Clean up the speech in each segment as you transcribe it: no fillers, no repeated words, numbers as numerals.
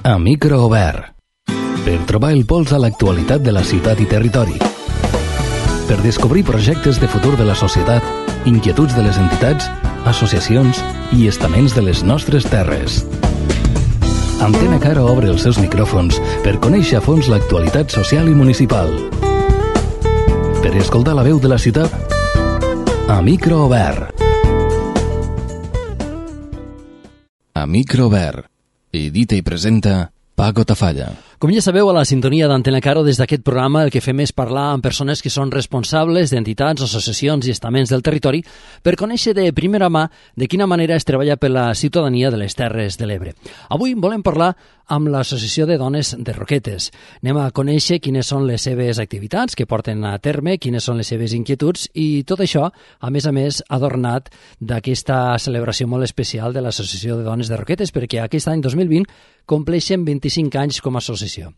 a micro obert, per trobar el pols a l'actualitat de la ciutat i territori, per descobrir projectes de futur de la societat, inquietuds de les entitats, associacions i estaments de les nostres terres. Antena Caro obre els seus micròfons per conèixer a fons l'actualitat social i municipal. Per escoltar la veu de la ciutat, a micro obert. A micro obert. Edita i presenta Paco Tafalla. Com ja sabeu, a la sintonia d'Antena Caro, des d'aquest programa el que fem és parlar amb persones que són responsables d'entitats, associacions i estaments del territori per conèixer de primera mà de quina manera es treballa per la ciutadania de les Terres de l'Ebre. Avui volem parlar amb l'Associació de Dones de Roquetes. Anem a conèixer quines són les seves activitats que porten a terme, quines són les seves inquietuds i tot això, a més, adornat d'aquesta celebració molt especial de l'Associació de Dones de Roquetes, perquè aquest any 2020 compleixen 25 anys com a associació.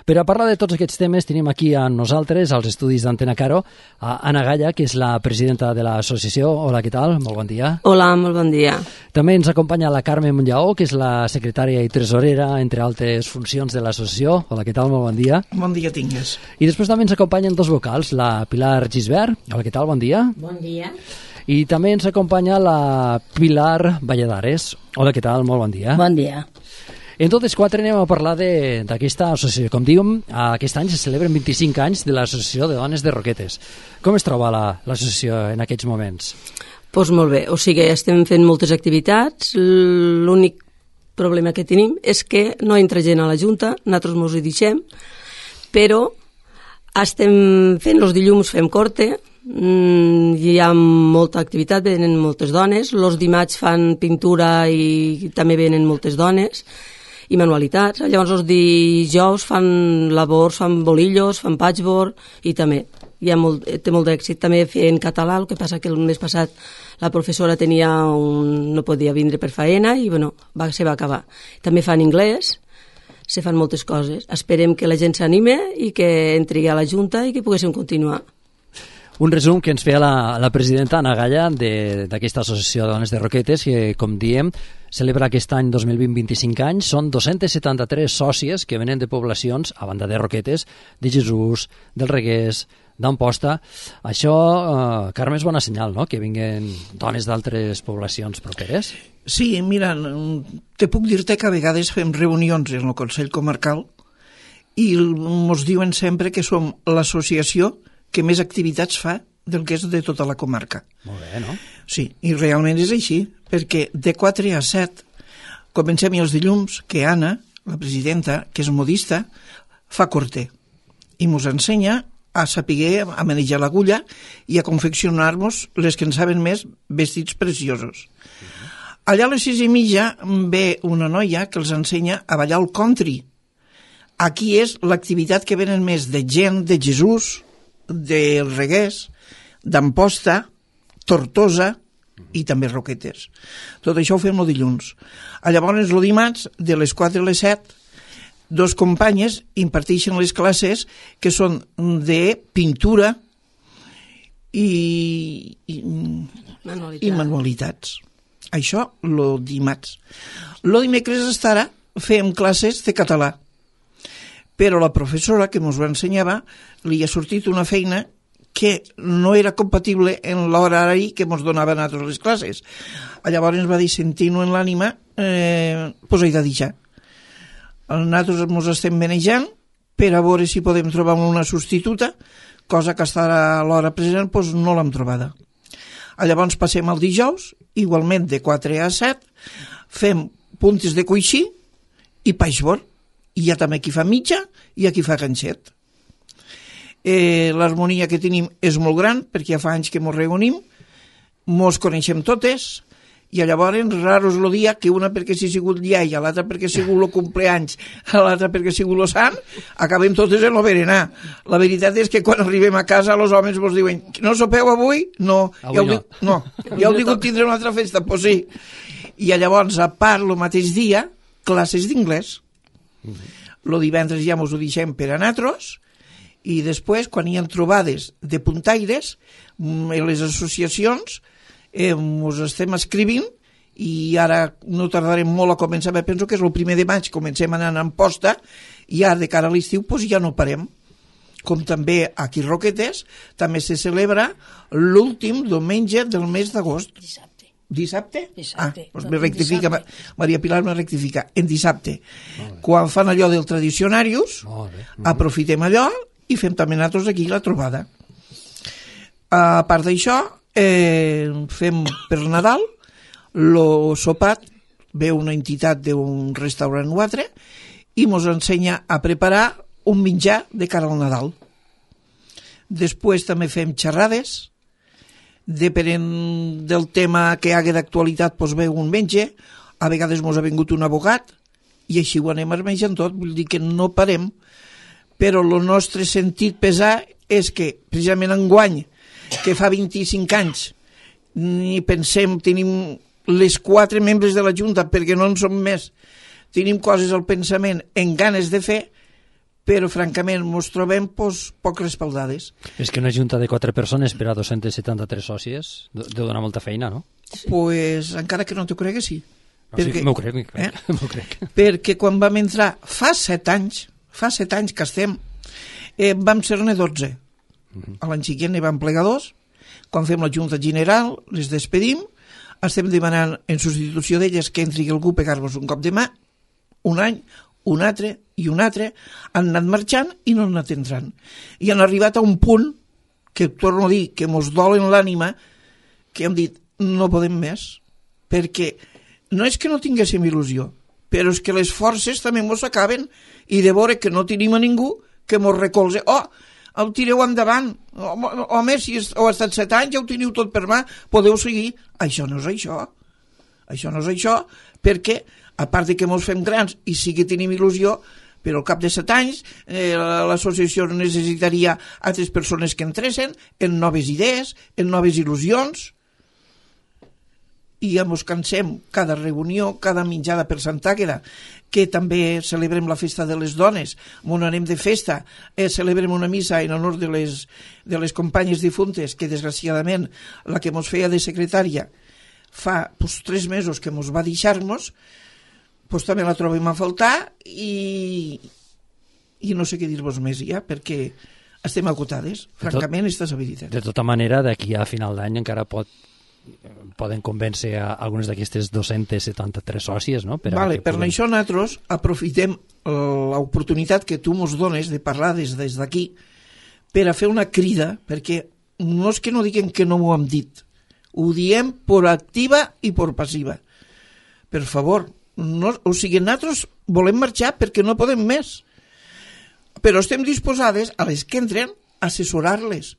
Per a parlar de tots aquests temes tenim aquí a nosaltres, als estudis d'Antena Caro, a Anna Galla, que és la presidenta de l'associació. Hola, què tal? Molt bon dia. Hola, molt bon dia. També ens acompanya la Carme Monllaó, que és la secretària i tresorera, entre altres funcions de l'associació. Hola, què tal? Molt bon dia. Bon dia tingues. I després també ens acompanyen dos vocals, la Pilar Gisbert. Hola, què tal? Bon dia. Bon dia. I també ens acompanya la Pilar Valladares. Hola, què tal? Molt bon dia. Bon dia. En totes quatre anem a parlar d'aquesta associació. Com diem, aquest any se celebren 25 anys de l'Associació de Dones de Roquetes. Com es troba l'associació en aquests moments? Doncs molt bé, o sigui, estem fent moltes activitats. L'únic problema que tenim és que no entra gent a la Junta, nosaltres ens hi deixem, però estem fent els dilluns, fem corte, hi ha molta activitat, venen moltes dones, els dimarts fan pintura i també venen moltes dones, i manualitats. Llavors els dijous fan labors, fan bolillos, fan patchwork i també té molt d'èxit també fer en català, el que passa que el mes passat la professora no podia vindre per faena i bueno, se va acabar. També fan anglès, se fan moltes coses. Esperem que la gent s'anime i que entri a la Junta i que poguéssim continuar. Un resum que ens feia la presidenta Anna Galla d'aquesta Associació de Dones de Roquetes, que, com diem, celebra aquest any 2020 25 anys. Són 273 sòcies que venen de poblacions, a banda de Roquetes, de Jesús, del Reguers, d'Amposta. Això, Carme, és bona senyal, no?, que vinguen dones d'altres poblacions properes. Sí, mira, te puc dir-te que a vegades fem reunions en el Consell Comarcal i ens diuen sempre que som l'associació que més activitats fa del que és de tota la comarca. Molt bé, no? Sí, i realment és així, perquè de 4 a 7 comencem els dilluns que Anna, la presidenta, que és modista, fa corte i ens ensenya a saber a manejar l'agulla i a confeccionar-nos les que en saben més vestits preciosos. Allà a les 6:30 ve una noia que els ensenya a ballar el country. Aquí és l'activitat que venen més de gent de Jesús, del Reguers, d'Amposta, Tortosa i també Roquetes. Tot això ho fem el dilluns. Llavors, el dimarts, de les 4 a les 7, dos companyes imparteixen les classes que són de pintura i manualitats. Això, el dimarts. El dimecres estarà fem classes de català. Però la professora que ens ho ensenyava li ha sortit una feina que no era compatible en l'horari que ens donava a nosaltres les classes. Llavors va dir, sentint-ho en l'ànima, doncs he de deixar. Nosaltres ens estem manejant per a veure si podem trobar una substituta, cosa que estarà a l'hora present, doncs no l'hem trobada. Llavors passem el dijous, igualment de 4 a 7, fem puntes de coixí i patchwork. I hi ha també qui fa mitja i qui fa ganxet. L'harmonia que tenim és molt gran perquè ja fa anys que ens reunim, ens coneixem totes i llavors raro és el dia que una perquè s'ha sigut iaia, l'altra perquè ha sigut el compleanys, l'altra perquè ha sigut el sant, acabem totes en el berenar. La veritat és que quan arribem a casa els homes ens diuen, no sopeu avui? No. Ja heu digut tindre una altra festa? Doncs sí. I llavors, a part, el mateix dia, classes d'inglès. El divendres ja ens ho deixem per a nosaltres i després, quan hi ha trobades de puntaires, les associacions ens estem escrivint i ara no tardarem molt a començar, penso que és el 1 de maig, comencem anant en posta, i ara de cara a l'estiu doncs ja no parem. Com també aquí a Roquetes, també se celebra l'últim diumenge del mes d'agost. Dissabte? Doncs me rectifica, Maria Pilar me rectifica, en dissabte. Quan fan allò del Tradicionarius, aprofitem allò i fem també nosaltres aquí la trobada. A part d'això, fem per Nadal, el sopat, ve una entitat d'un restaurant o altre i ens ensenya a preparar un menjar de cara al Nadal. Després també fem xerrades, depenent del tema que hi hagi d'actualitat, doncs ve un metge, a vegades ens ha vingut un abogat, i així ho anem armejant tot, vull dir que no parem, però el nostre sentit pesar és que, precisament enguany, que fa 25 anys, ni pensem, tenim les 4 membres de la Junta, perquè no en som més, tenim coses al pensament en ganes de fer, però francament ens trobem poc respaldades. És que una junta de 4 persones per a 273 sòcies deu donar molta feina, no? Pues encara que no t'ho crec, sí. No, perquè, sí, m'ho crec. M'ho crec. Perquè quan vam entrar fa 7 anys que estem, vam ser-ne 12. A l'any següent n'hi vam plegar 2. Quan fem la Junta General, les despedim, estem demanant en substitució d'elles que entri algú a pegar-nos un cop de mà, un any, un altre i un altre, han anat marxant i no han anat entrant. I han arribat a un punt que, torno a dir, que mos dol en l'ànima, que hem dit, no podem més, perquè no és que no tinguéssim il·lusió, però és que les forces també mos acaben i de veure que no tenim a ningú que mos recolze. El tireu endavant, home, si heu estat 7 anys, ja ho teniu tot per mà, podeu seguir. Això no és això. Això no és això, perquè a part de que ens fem grans i sí que tenim il·lusió, però al cap de 7 anys l'associació necessitaria altres persones que entressin en noves idees, en noves il·lusions, i ja ens cansem cada reunió, cada menjada per Sant Àgueda, que també celebrem la festa de les dones, on anem de festa, celebrem una missa en honor de les companyes difuntes, que desgraciadament la que ens feia de secretària fa 3 mesos que ens va deixar-nos, doncs també la trobem a faltar i no sé què dir-vos més ja, perquè estem acotades, francament, és veritat. De tota manera, d'aquí a final d'any encara poden convèncer a algunes d'aquestes 273 sòcies, no? Per això nosaltres aprofitem l'oportunitat que tu ens dones de parlar des d'aquí per a fer una crida, perquè no és que no diguem que no m'ho hem dit, ho diem per activa i per passiva. Per favor, nosaltres volem marxar perquè no podem més, però estem disposades a les que entren a assessorar-les.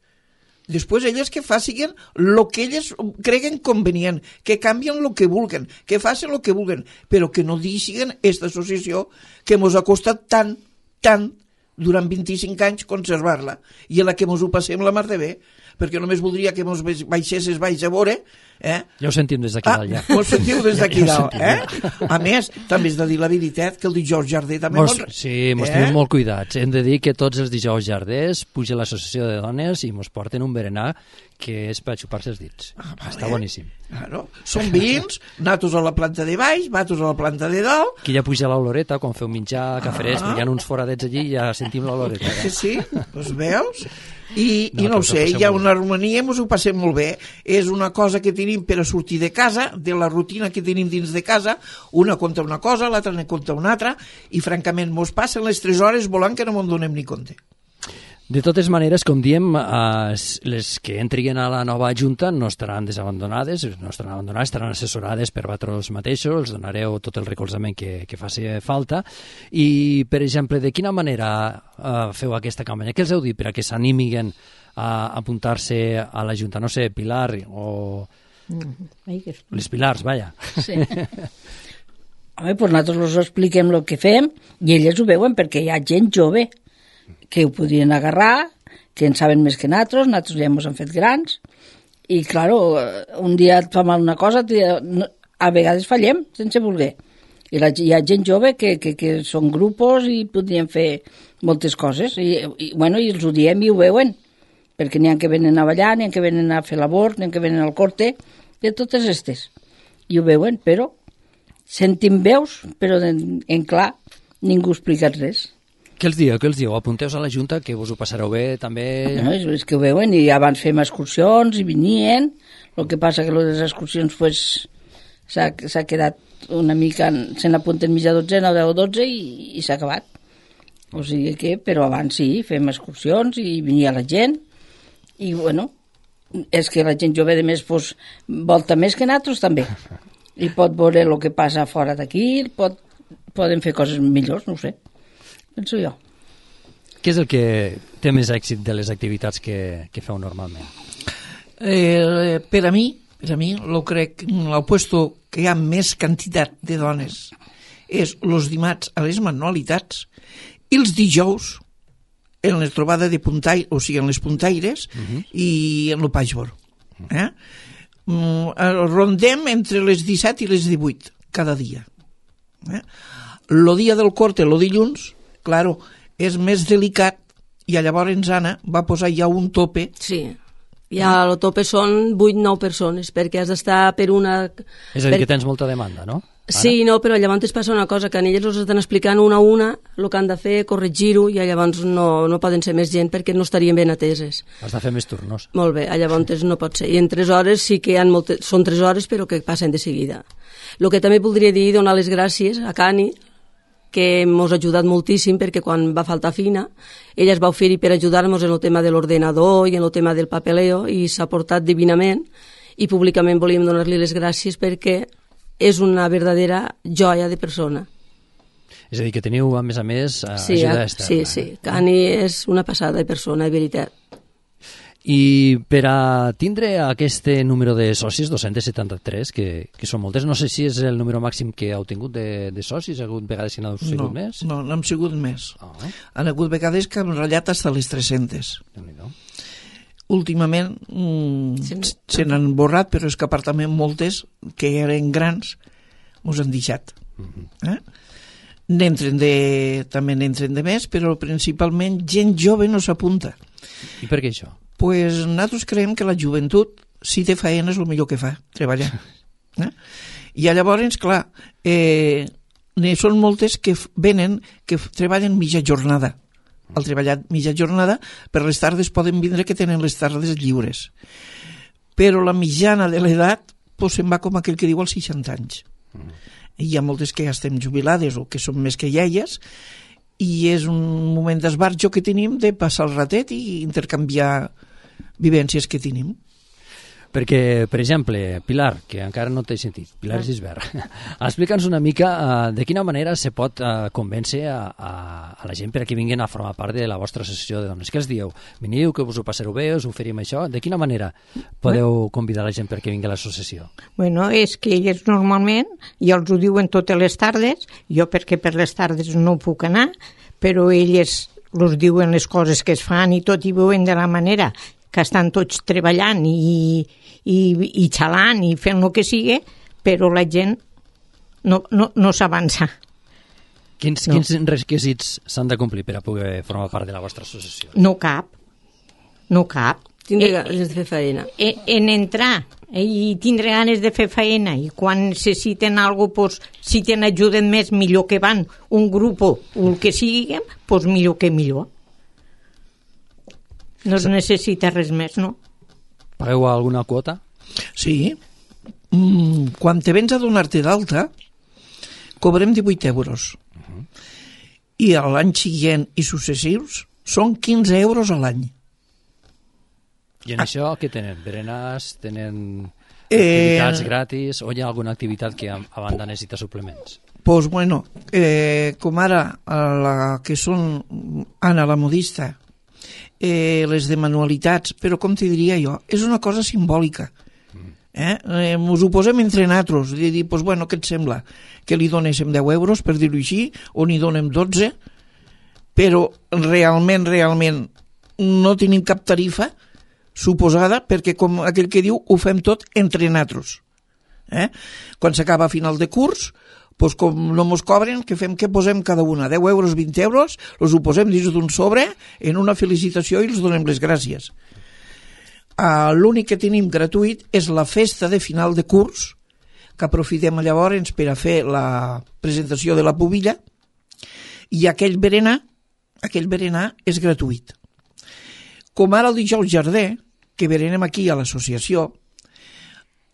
Després elles que facin el que elles creguen convenient, que canvien el que vulguen, que facin el que vulguen, però que no deixin aquesta associació que ens ha costat tant durant 25 anys conservar-la i en la que ens ho passem la mar de bé, perquè només voldria que ens baixessis baix a veure. Ja ho sentim des d'aquí dalt, ja. Ho sentiu des d'aquí dalt, A més, també has de dir la veritat que el dijous Jardí també... Sí, mos tenim molt cuidats. Hem de dir que tots els dijous Jarders puja l'associació de dones i mos porten un berenar que és per xupar-se els dits. Està boníssim. Claro. Són vins, natos a la planta de baix, vatos a la planta de dalt... Aquí ja puja l'oloreta, quan feu menjar caferers, hi ha uns foradets allí i ja sentim l'oloreta. Sí, doncs veus... I no ho sé, hi ha una harmonia, ens ho passem molt bé, és una cosa que tenim per a sortir de casa, de la rutina que tenim dins de casa, una conta una cosa, l'altra ne conta una altra, i francament mos passen les 3 hores volant que no me'n donem ni compte. De totes maneres, com diem, les que entrin a la nova Junta no estaran desabandonades, estaran assessorades per vosaltres mateixos, els donareu tot el recolzament que faci falta. I, per exemple, de quina manera feu aquesta campanya? Què els heu dit per a que s'animin a apuntar-se a la Junta? No sé, Pilar o... Les Pilars, vaja. Sí. Home, doncs nosaltres els expliquem el que fem i elles ho veuen perquè hi ha gent jove que ho podrien agarrar, que en saben més que nosaltres ja ens hem fet grans, i, clar, un dia et fa mal una cosa, a vegades fallem, sense voler. I hi ha gent jove que són grupos i podrien fer moltes coses, i els ho diem i ho veuen, perquè n'hi ha que venen a ballar, n'hi ha que venen a fer labor, n'hi ha que venen al corte, de totes aquestes. i ho veuen, però sentim veus, però en clar ningú ha explicat res. Què els dieu? Apunteu a la Junta que vos ho passareu bé també? No, és que ho veuen i abans fem excursions i venien, el que passa que les excursions pues, s'ha quedat una mica, se n'apunten mitja dotzena o 10 o 12 i s'ha acabat. O sigui que, però abans sí, fem excursions i venia la gent i bueno, és que la gent jove de més pues, volta més que nosaltres també i pot veure el que passa fora d'aquí, poden fer coses millors, no ho sé, penso jo. Què és el que té més èxit de les activitats que feu normalment? Per a mi, lo crec, el puesto que hi ha més quantitat de dones és els dimarts a les manualitats i els dijous en la trobada de puntaire, o sigui, en les puntaires i en el patchwork. Rondem entre les 17 i les 18 cada dia. El dia del corte, el dilluns, claro, és més delicat i llavors Anna va posar ja un tope. Sí, ja el tope són 8-9 persones, perquè has d'estar per una... És a dir, que tens molta demanda, no? Sí, no, però llavors passa una cosa, que a elles els estan explicant una a una el que han de fer, corregir-ho, i llavors no poden ser més gent perquè no estarien ben ateses. Has de fer més turnos. Molt bé, llavors no pot ser. I en 3 hores sí que són 3 hores, però que passen de seguida. El que també voldria dir, donar les gràcies a Cani, que ens ha ajudat moltíssim, perquè quan va faltar Fina, ella es va oferir per ajudar-nos en el tema de l'ordenador i en el tema del papeleo, i s'ha portat divinament, i públicament volíem donar-li les gràcies perquè és una verdadera joia de persona. És a dir, que teniu, a més, ajuda externa. Sí. Cani és una passada de persona, de veritat. I per a tindre aquest número de socis, 273, que són moltes, no sé si és el número màxim que heu tingut de socis, ha hagut vegades que n'heu sigut més? No hem sigut més. Han hagut vegades que hem ratllat fins a les 300. Déu-n'hi-do. Últimament se n'han borrat, però és que a part també moltes que eren grans mos han deixat. També n'entren de més, però principalment gent jove no s'apunta. I per què això? Pues nosaltres creiem que la joventut, si té feina, és el millor que fa, treballar. I llavors, clar, n'hi són moltes que venen, que treballen mitja jornada. Al treballar mitja jornada, per les tardes poden vindre que tenen les tardes lliures. Però la mitjana de l'edat pues, se'n va com aquell que diu als 60 anys. I hi ha moltes que ja estem jubilades o que són més que iaies, i és un moment d'esbarjo que tenim de passar el ratet i intercanviar vivències que tenim. Perquè, per exemple, Pilar, que encara no t'he sentit, Pilar Gisbert, explica'ns una mica de quina manera se pot convèncer a la gent per a que vinguin a formar part de la vostra associació de dones. Què els dieu? Veniu, que us ho passareu bé, us oferim això? De quina manera podeu convidar la gent perquè vingui a l'associació? Bueno, és que ells normalment, ja els ho diuen totes les tardes, jo perquè per les tardes no puc anar, però elles els diuen les coses que es fan i tot, i veuen de la manera que estan tots treballant i xalant i fent el que sigui, però la gent no s'avança. Quins requisits s'han de complir per a poder formar part de la vostra associació? No cap. Tindre ganes de fer feina. En entrar i tindre ganes de fer feina, i quan necessiten alguna cosa, pues, si tenen ajuden més, millor que van un grup o el que sigui, pues millor que millor. No es necessita res més, no? Pagueu alguna quota? Sí. Quan te vens a donar-te d'alta, cobrem 18 euros. I a l'any següent i successius són 15 euros a l'any. I en això què tenen? Berenars? Tenen activitats gratis? O hi ha alguna activitat que a banda necessita suplements? Pues bueno, com ara la que són Anna la modista, les de manualitats, però com t'hi diria jo, és una cosa simbòlica. Ens ho posem entre nosaltres i dir, pues bueno, què et sembla? Que li donéssim 10 euros, per dir-ho així, o n'hi donem 12, però realment no tenim cap tarifa suposada, perquè com aquell que diu, ho fem tot entre nosaltres. Quan s'acaba a final de curs, pues com no mos cobren, què fem? Què posem cada una? 10 euros, 20 euros, els ho posem dins d'un sobre en una felicitació i els donem les gràcies. L'únic que tenim gratuït és la festa de final de curs, que aprofitem llavors per a fer la presentació de la pubilla, i aquell berenar és gratuït. Com ara el dijous Jardí, que berenem aquí a l'associació,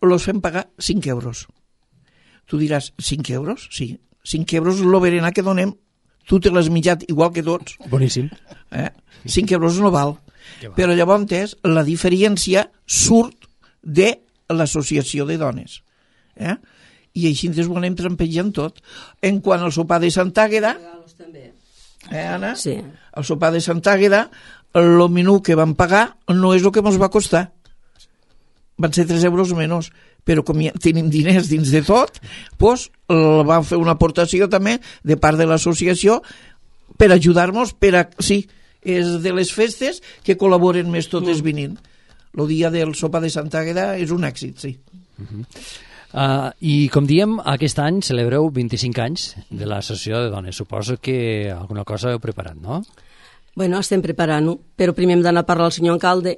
els fem pagar 5 euros. Tu diràs, 5 euros? Sí, 5 euros és el berenar que donem, tu te l'has mitjat igual que tots. Boníssim. 5 euros no val. Però llavors la diferència surt de l'associació de dones. I així ens ho anem trampejant tot. En quant al sopar de Sant Àgueda, Anna? Sí. El sopar de Sant Àgueda, el menú que vam pagar no és el que ens va costar. Van ser 3 euros menys, però com ja tenim diners dins de tot, doncs vam fer una aportació també de part de l'associació per ajudar-nos, sí, és de les festes que col·laboren més totes venint. El dia del sopar de Sant Àgueda és un èxit, sí. I com diem, aquest any celebreu 25 anys de l'Associació de Dones. Suposo que alguna cosa heu preparat, no? Bueno, estem preparant-ho, però primer hem d'anar a parlar al senyor alcalde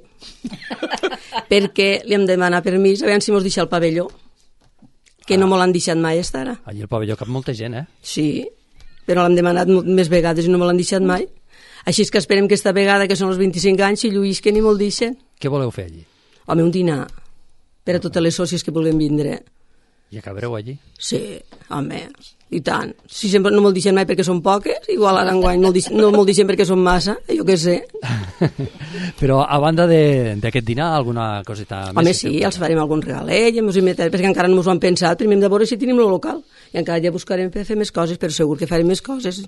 perquè li hem de demanar permís, a veure si mos deixa el pavelló, que no me l'han deixat mai estar ara. Allí al pavelló cap molta gent, Sí, però l'hem demanat més vegades i no me l'han deixat mai. Així és que esperem que esta vegada, que són els 25 anys, si lluïsquen i me'l deixen. Què voleu fer allí? Home, un dinar per a totes les sòcies que vulguin vindre. I acabareu allí? Sí, home, i tant. Si sempre no me'l deixen mai perquè són poques, igual ara enguany no me'l deixen perquè són massa, jo què sé. Però a banda d'aquest dinar, alguna coseta més? Home, sí, els farem algun regalet, perquè encara no ens ho han pensat, primer hem de veure si tenim el local, i encara ja buscarem per fer més coses, però segur que farem més coses,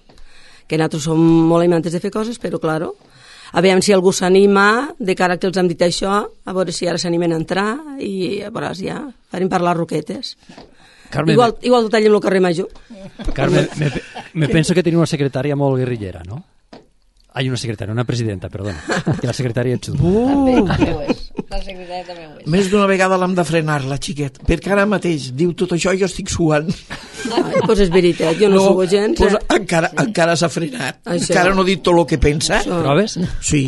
que nosaltres som molt amantes de fer coses, però, claro, a veure si algú s'anima, de cara que els hem dit això, a veure si ara s'animen a entrar, i a veure, ja farem parlar roquetes. Carme, igual ho tallem al carrer Major. Carme, me penso que tenim una secretària molt guerrillera, no? Una secretària, una presidenta, perdona. Que la secretària ets tu. La secretària també ho és. Més d'una vegada l'hem de frenar, la xiquet, perquè ara mateix diu tot això i jo estic suant. Doncs és veritat, jo no suo gens. Pues encara s'ha frenat. Això. Encara no ha dit tot el que pensa. Proves? Sí,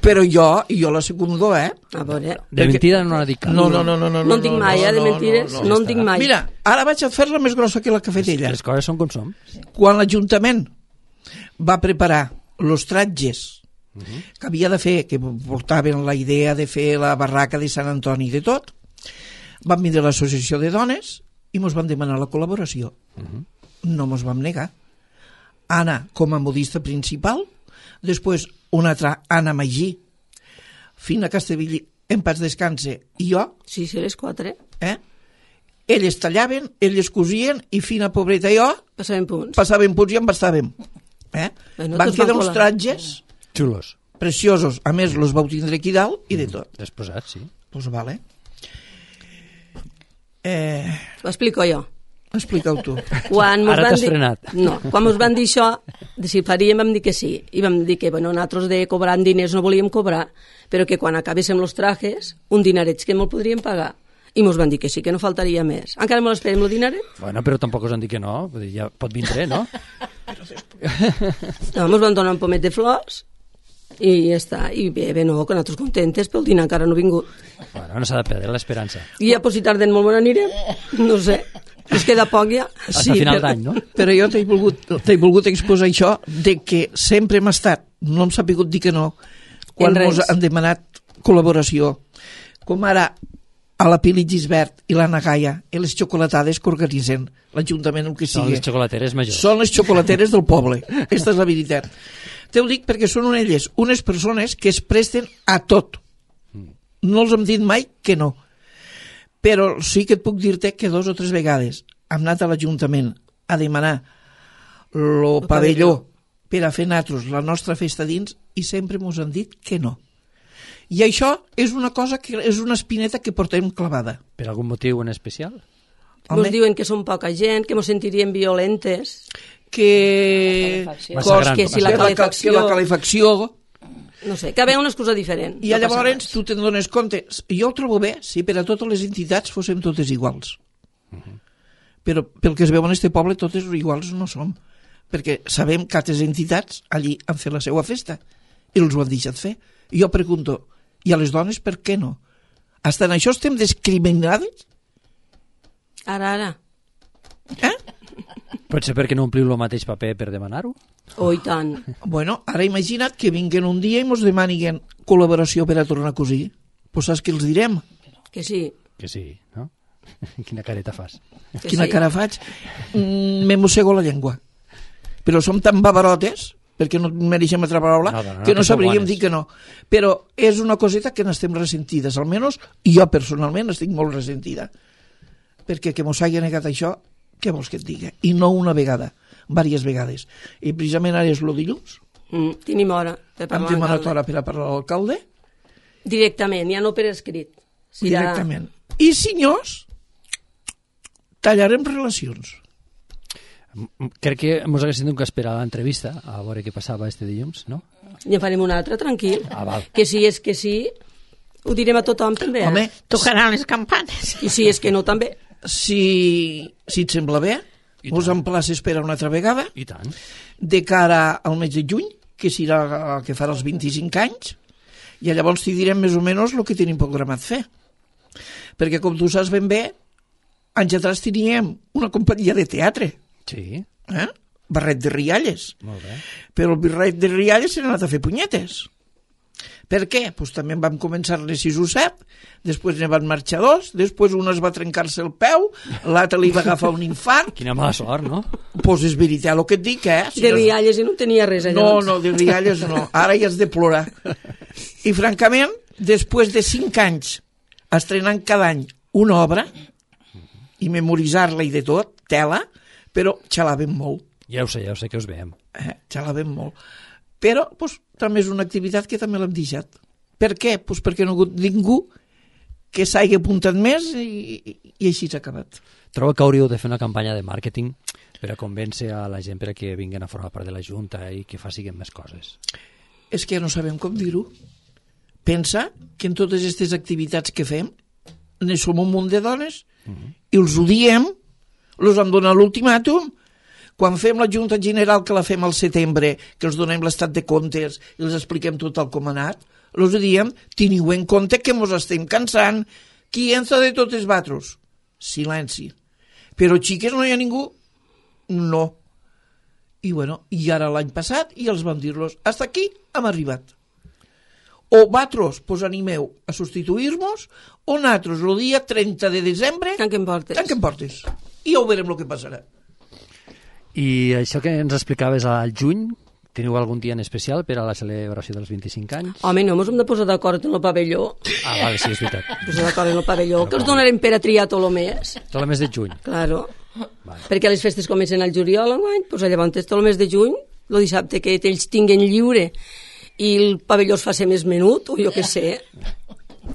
però jo la secundo, A veure. De mentida no n'ha dit cap. No. No en tinc mai, de mentires, no en tinc mai. Mira, ara vaig a fer-la més grossa que la que ha fet ella. Les coses són com som. Quan l'Ajuntament va preparar els tratges que havia de fer, que portaven la idea de fer la barraca de Sant Antoni i de tot, van vindre a l'associació de dones i ens van demanar la col·laboració. No ens vam negar. Anna com a modista principal, després una altra Anna Magí, Fina Castellví en paz descanse, i jo. Sí, les 4. Elles tallaven, elles cosien, i Fina, pobreta, i jo passaven punts i embastàvem. Van quedar uns tratges xulos, preciosos. A més, els vau tindre aquí dalt i de tot. Desposats, sí. Doncs vale. Ho explico jo. Explica-ho tu. Ara t'has frenat. No, quan ens van dir això, de si faríem, vam dir que sí. I vam dir que, nosaltres de cobrar diners no volíem cobrar, però que quan acabéssim els trajes, un dinaret que me'l podríem pagar. I ens van dir que sí, que no faltaria més. Encara me l'esperem, el dinaret? Bueno, però tampoc us han dit que no. Ja pot vindre, no? No, ens van donar un pomet de flors i ja està. I bé, que nosaltres contentes, però el dinar encara no ha vingut. Bueno, no s'ha de perdre l'esperança. I ja, si tarden molt, on anirem? No sé. Ens queda poc ja. Fins a final d'any, no? Però jo t'he volgut exposar això de que sempre hem estat, no hem sabut dir que no, quan ens han demanat col·laboració. Com ara a la Pili Gisbert i l'Anna Gaia i les xocolatades que organitzen l'Ajuntament, el que sigui. Són les xocolateres majors. Són les xocolateres del poble. Aquesta és la veritat. Te ho dic perquè són elles unes persones que es presten a tot. No els hem dit mai que no. Però sí que et puc dir-te que 2 o 3 vegades hem anat a l'Ajuntament a demanar el pavelló per a fer nosaltres la nostra festa dins i sempre ens han dit que no. I això és una cosa que és una espineta que portem clavada. Per algun motiu en especial? Ens diuen que som poca gent, que ens sentiríem violentes, que si la calefacció. No sé, que ve una excusa diferent. I llavors tu te'n dones compte. Jo ho trobo bé si per a totes les entitats fóssim totes iguals. Però pel que es veu en este poble totes iguals no som. Perquè sabem que altres entitats allí han fet la seva festa i els ho han deixat fer. I jo pregunto, i a les dones per què no? Hasta en això estem discriminades? Ara. Potser perquè no ompliu el mateix paper per demanar-ho? Oh, i tant. Bueno, ara imagina't que vinguen un dia i mos demaniguen col·laboració per a tornar a cosir. Pues saps què els direm? Que sí. Que sí, no? Quina careta fas? Quina cara faig? Me mossego la llengua. Però som tan babarotes, perquè no mereixem altra paraula, que no sabríem dir que no. Però és una coseta que n'estem ressentides, almenys jo personalment estic molt ressentida. Perquè que mos hagi negat això, què vols que et digui? I no una vegada, diverses vegades. I precisament ara és el dilluns. Tenim hora per parlar amb demanat hora per a parlar a l'alcalde. Directament, ja no per escrit. Directament. I senyors, tallarem relacions. Crec que ens haguéssim tingut que esperar l'entrevista a veure què passava este dilluns, no? Ja farem una altra, tranquil. Val. Que si és que sí, ho direm a tothom també. Home, tocaran les campanes. I si és que no, també. Si et sembla bé, us emplaces per a una altra vegada. I tant. De cara al mes de juny, que serà que farà els 25 anys, i llavors t'hi direm més o menys el que tenim programat fer. Perquè, com tu saps ben bé, anys atrás teníem una companyia de teatre. Sí. Barret de Rialles. Molt bé. Però el Barret de Rialles s'ha anat a fer punyetes. Per què? Pues també vam començar-ne 6 o 7, després ne van marxar 2, després un es va trencar-se el peu, l'altre li va agafar un infart. Quina mala sort, no? Pues és veritat el que et dic, Si de Rialles no tenia res allà. No, de Rialles no. Ara ja has de plorar. I francament, després de 5 anys estrenant cada any una obra i memoritzar-la i de tot, tela, però xalàvem molt. Ja ho sé que us veiem. Xalàvem molt. Però pues, també és una activitat que també l'hem deixat. Per què? Pues perquè no ha hagut ningú que s'hagi apuntat més i així s'ha acabat. Trobo que hauríeu de fer una campanya de màrqueting per a convèncer a la gent perquè vinguin a formar part de la Junta i que facin més coses. És que no sabem com dir-ho. Pensa que en totes aquestes activitats que fem ne som un munt de dones i els ho diem, els han donat l'ultimàtum. Quan fem la Junta General, que la fem al setembre, que els donem l'estat de comptes i els expliquem tot el com ha anat, els diem, teniu en compte que mos estem cansant. Qui entra de tots els batros? Silenci. Però xiques no hi ha ningú? No. I bueno, i ara l'any passat i els van dir-los, hasta aquí hem arribat. O batros, pues animeu a substituir-nos, o nosaltres el dia 30 de desembre tanquem portes. I ja ho veurem el que passarà. I això que ens explicaves al juny, teniu algun dia en especial per a la celebració dels 25 anys? Home, no, ens hem de posar d'acord en el pavelló. Vale, sí, és veritat. Posar d'acord en el pavelló, que els donarem per a triar tot el mes. Tot el mes de juny. Claro. Vale. Perquè les festes comencen al juliol enguany, doncs llavors tot el mes de juny, el dissabte que ells tinguen lliure i el pavelló es faci més menut, o jo què sé.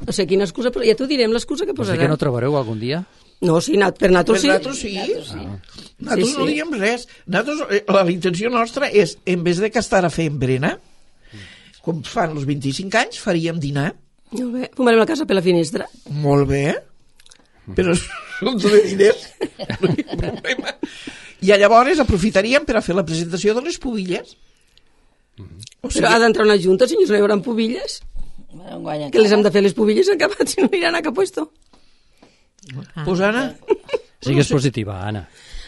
No sé quina excusa, però ja t'ho direm l'excusa que posaran. Vols dir que no trobareu algun dia? No, sí, per nosaltres sí. Per nosaltres sí. Nosaltres no diem res. La intenció nostra és, en vez de que estar a fer embrena, com fan els 25 anys, faríem dinar. Molt bé. Fumarem la casa per la finestra. Molt bé. Però són de diners. No hi ha problema. I llavors aprofitaríem per a fer la presentació de les pubilles. O sigui, però ha d'entrar una junta, senyors, no hi haurà pubilles. Que les hem de fer les pubilles acabat, si no iran a cap puesto. Pues Anna... Sigues positiva, Anna.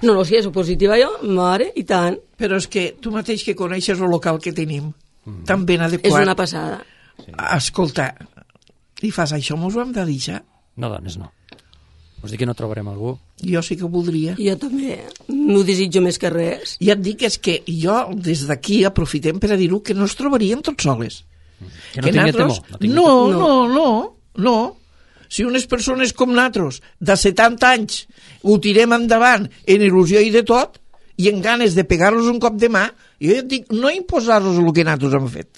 No, si és positiva jo, mare, i tant. Però és que tu mateix que coneixes el local que tenim, tan ben adequat... És una passada. Sí. Escolta, i fas això, mos ho hem de deixar? No, dones, no. Vols dir que no trobarem algú? Jo sí que ho voldria. Jo també, m'ho desitjo més que res. Ja et dic, és que jo des d'aquí aprofitem per a dir-ho que no ens trobaríem tots soles. Que no tinguem temor. No. Si unes persones com nosaltres, de 70 anys, ho tirem endavant en il·lusió i de tot, i en ganes de pegar-los un cop de mà, jo ja et dic, no imposar-los el que nosaltres hem fet.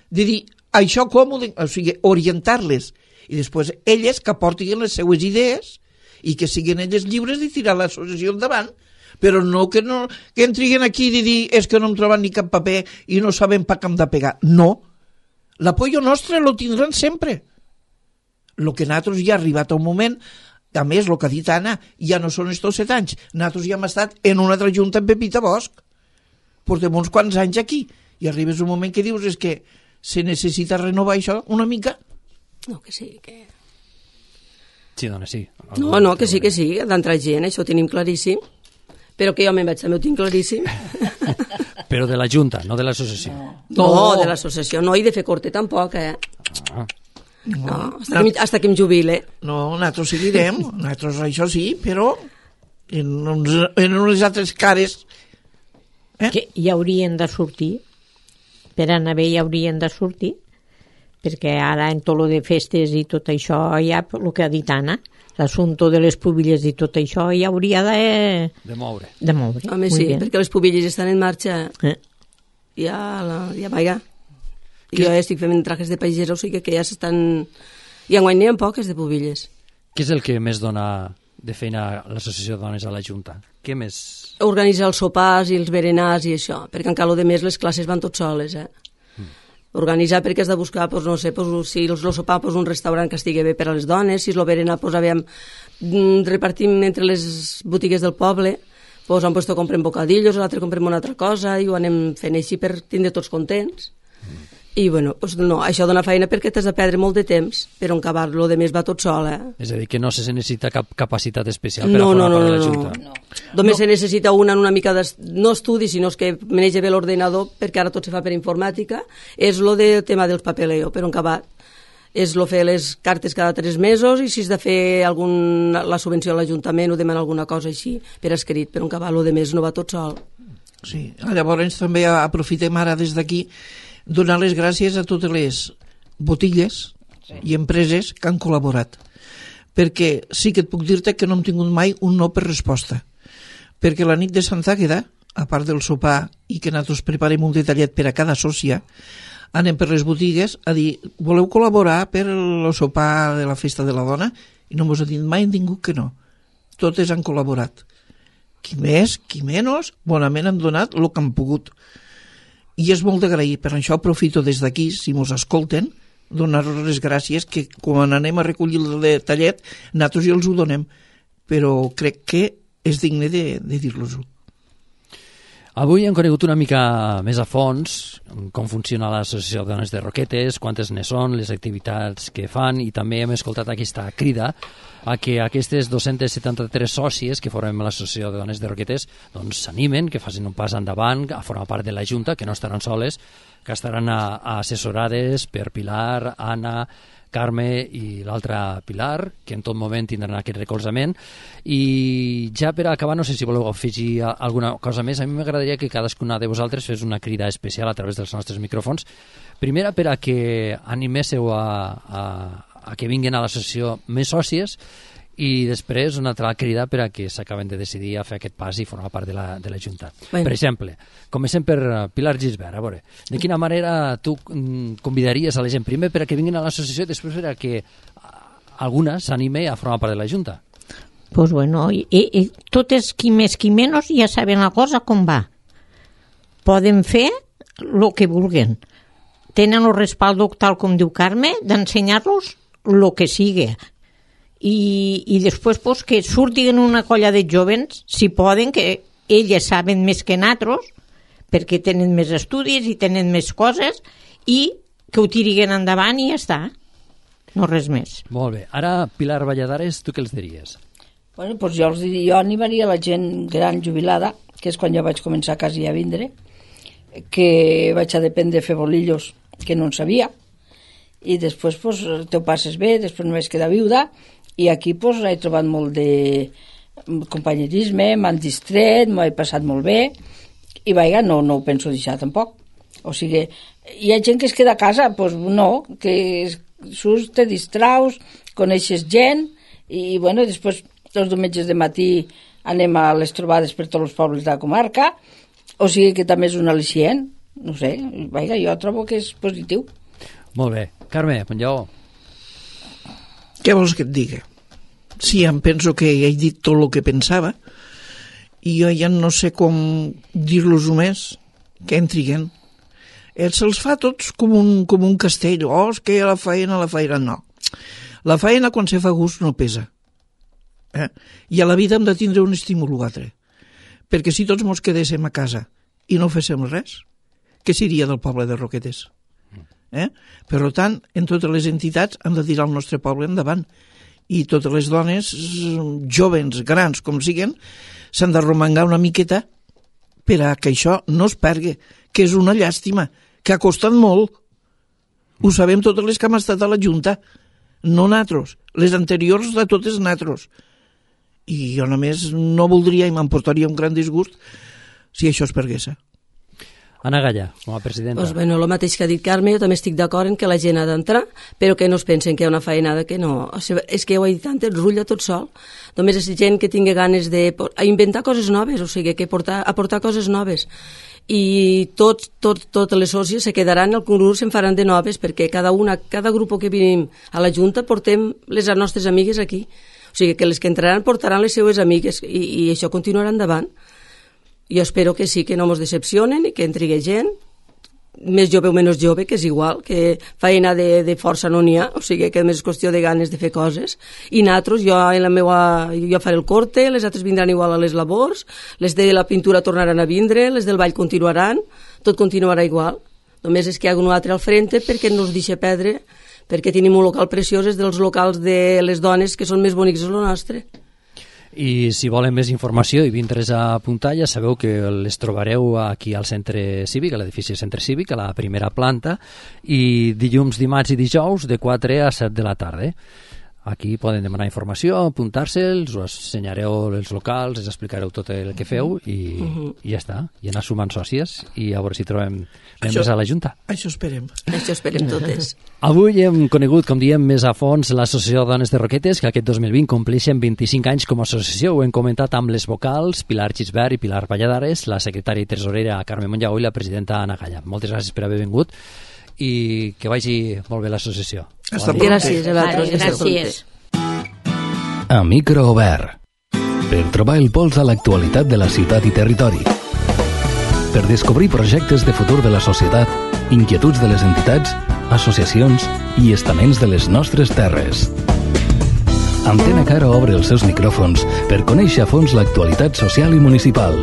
De dir, això com o sigui, orientar-les, i després elles que aportin les seues idees i que siguin elles lliures de tirar l'associació endavant, però no que entriguen aquí i dir és que no hem trobat ni cap paper i no sabem per què hem de pegar. No. L'apoyo nostre lo tindran sempre. El que nosaltres ja ha arribat a un moment, a més, el que ha dit Anna, ja no són estos 7 anys. Nosaltres ja hem estat en una altra junta en Pepita Bosch. Portem uns quants anys aquí. I arribes un moment que dius és que se necessita renovar això una mica. No, que sí, que... Sí, dona, sí. No, que sí, d'entrar gent, això ho tenim claríssim, però que jo me'n vaig, també ho tinc claríssim. Però de la Junta, no de l'associació. No, de l'associació no, i de fer corte tampoc, No, hasta que em jubile. No, nosaltres seguirem, nosaltres això sí, però en unes altres cares. Que hi haurien de sortir, per anar bé hi haurien de sortir, perquè ara en tot lo de festes i tot això, ja el que ha dit Anna, l'assumpte de les pubilles i tot això, ja hauria de moure. Home, sí, perquè les pubilles estan en marxa. Ja vaja. Jo estic fent trajes de pagesa, o sigui que ja s'estan... I enguany n'hi ha poques de pubilles. Què és el que més dona de feina a l'Associació de Dones a la Junta? Què més? Organitzar els sopars i els berenars i això, perquè encara lo de més les classes van tot soles, Organitzar perquè has de buscar, pues, no sé, pues, si el sopar, pues, un restaurant que estigui bé per a les dones, si és el berenar, pues, repartim entre les botigues del poble, pues, un puesto comprem bocadillos, l'altre comprem una altra cosa, i ho anem fent així per tindre tots contents. I, bueno, pues no, això dona feina perquè t'has de perdre molt de temps, però en acabar lo de més va tot sol, És a dir, que no se necessita cap capacitat especial per a formar part de la Junta. No. Només se necessita una mica no estudi, sinó que maneja bé l'ordenador, perquè ara tot se fa per informàtica, és lo del tema dels papeleo, però en acabar és lo fer les cartes cada 3 mesos i si has de fer la subvenció a l'Ajuntament o demanar alguna cosa així per escrit, però en acabar lo de més no va tot sol. Sí, llavors també aprofitem ara des d'aquí donar les gràcies a totes les botigues i empreses que han col·laborat, perquè sí que et puc dir-te que no hem tingut mai un no per resposta, perquè la nit de Sant Àgueda, a part del sopar i que nosaltres preparem un detallet per a cada sòcia, anem per les botigues a dir, voleu col·laborar per el sopar de la festa de la dona? I no ens ha dit mai ningú que no, totes han col·laborat, qui més, qui menys, bonament han donat el que han pogut. I és molt d'agrair, per això aprofito des d'aquí, si mos escolten, donar-los les gràcies, que quan anem a recollir el detallet, nosaltres ja els ho donem, però crec que és digne de dir-los-ho. Avui hem conegut una mica més a fons com funciona l'Associació de Dones de Roquetes, quantes ne són, les activitats que fan, i també hem escoltat aquesta crida a que aquestes 273 sòcies que formem l'Associació de Dones de Roquetes doncs s'animen, que facin un pas endavant a formar part de la Junta, que no estaran soles, que estaran assessorades per Pilar, Anna, Carme i l'altra Pilar, que en tot moment tindran aquest recolzament. I ja per acabar, no sé si voleu afegir alguna cosa més, a mi m'agradaria que cadascuna de vosaltres fes una crida especial a través dels nostres micròfons. Primera, per a que animéssiu a que vinguin a l'associació més sòcies, i després una altra crida per a que s'acaben de decidir a fer aquest pas i formar part de la Junta. Per exemple, comencem per Pilar Gisbert. A veure, de quina manera tu convidaries a la gent primer per a que vinguin a l'associació i després per a que alguna s'anime a formar part de la Junta? Pues bueno, totes qui més qui menys ja saben la cosa com va. Poden fer el que vulguen. Tenen el respaldo, tal com diu Carme, d'ensenyar-los el que sigui. I després pues, que surtin una colla de jovens, si poden, que elles saben més que nosaltres, perquè tenen més estudis i tenen més coses, i que ho tiriguen endavant i ja està. No res més. Molt bé. Ara, Pilar Valladares, tu què els diries? Bueno, doncs jo animaria la gent gran jubilada, que és quan jo vaig començar quasi a vindre, que vaig a dependre de fer bolillos, que no en sabia, i després pues, te ho passes bé, després no vaig quedar viuda, i aquí pues, he trobat molt de companyerisme, m'han distret, m'ho he passat molt bé, i vaja, no ho penso deixar tampoc. O sigui, hi ha gent que es queda a casa, doncs no, que surts, te distraus, coneixes gent, i bueno, després els diumenges de matí anem a les trobades per tots els pobles de la comarca, o sigui que també és un al·licient, no sé, vaja, jo trobo que és positiu. Molt bé. Carme, Ponllaó. Què vols que et digui? Sí, em penso que he dit tot el que pensava i jo ja no sé com dir-los-ho més, que entriguen. Se'ls fa tots com un castell. És que la feina, no. La feina quan se fa gust no pesa. I a la vida hem de tindre un estímul o altre. Perquè si tots mos quedéssim a casa i no féssim res, què seria del poble de Roquetes? Per tant, en totes les entitats hem de tirar el nostre poble endavant i totes les dones, jovens, grans, com siguen, s'han de romangar una miqueta per a que això no es pergui, que és una llàstima, que ha costat molt. Ho sabem totes les que hem estat a la Junta, no natros, les anteriors de totes natros. I jo només no voldria i m'emportaria un gran disgust si això es pergués. Ana Galla, com a presidenta. Pues bueno, el mateix que ha dit Carme, jo també estic d'acord en que la gent ha d'entrar, però que no es pensen que hi ha una feinada que no... O sigui, és que ja ho he dit antes, rutlla tot sol. Només és gent que tingui ganes de inventar coses noves, o sigui, que aportar coses noves. I totes les sòcies se quedaran al concurs, se'n faran de noves, perquè cada grup que venim a la Junta portem les nostres amigues aquí. O sigui, que les que entraran portaran les seues amigues i això continuarà endavant. Jo espero que sí, que no ens decepcionen i que entregui gent, més jove o menys jove, que és igual, que feina de força no n'hi ha, o sigui que més és qüestió de ganes de fer coses. I nosaltres, jo faré el corte, les altres vindran igual a les labors, les de la pintura tornaran a vindre, les del ball continuaran, tot continuarà igual. Només és que hi ha un altre al frente perquè no es deixa perdre, perquè tenim un local preciós, és dels locals de les dones que són més bonics que el nostre. I si volen més informació i vindre's a apuntar, ja sabeu que les trobareu aquí al centre cívic, a l'edifici Centre Cívic, a la primera planta, i dilluns, dimarts i dijous de 4 a 7 de la tarda. Aquí poden demanar informació, apuntar-se, us ensenyareu els locals, us explicareu tot el que feu i ja està. I anar sumant sòcies i a veure si trobem membres a la Junta. Això esperem. Això esperem totes. Avui hem conegut, com diem, més a fons l'Associació de Dones de Roquetes, que aquest 2020 compleixen 25 anys com a associació. Ho hem comentat amb les vocals Pilar Gisbert i Pilar Valladares, la secretària i tresorera Carme Monllaó i la presidenta Ana Galla. Moltes gràcies per haver vingut i que vagi molt bé l'associació. Gràcies a vosaltres. Gràcies. A micro obert. Per trobar el pols a l'actualitat de la ciutat i territori. Per descobrir projectes de futur de la societat, inquietuds de les entitats, associacions i estaments de les nostres terres. Antena Caro obre els seus micròfons per conèixer a fons l'actualitat social i municipal.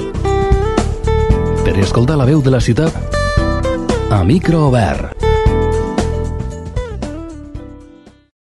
Per escoltar la veu de la ciutat, a micro obert.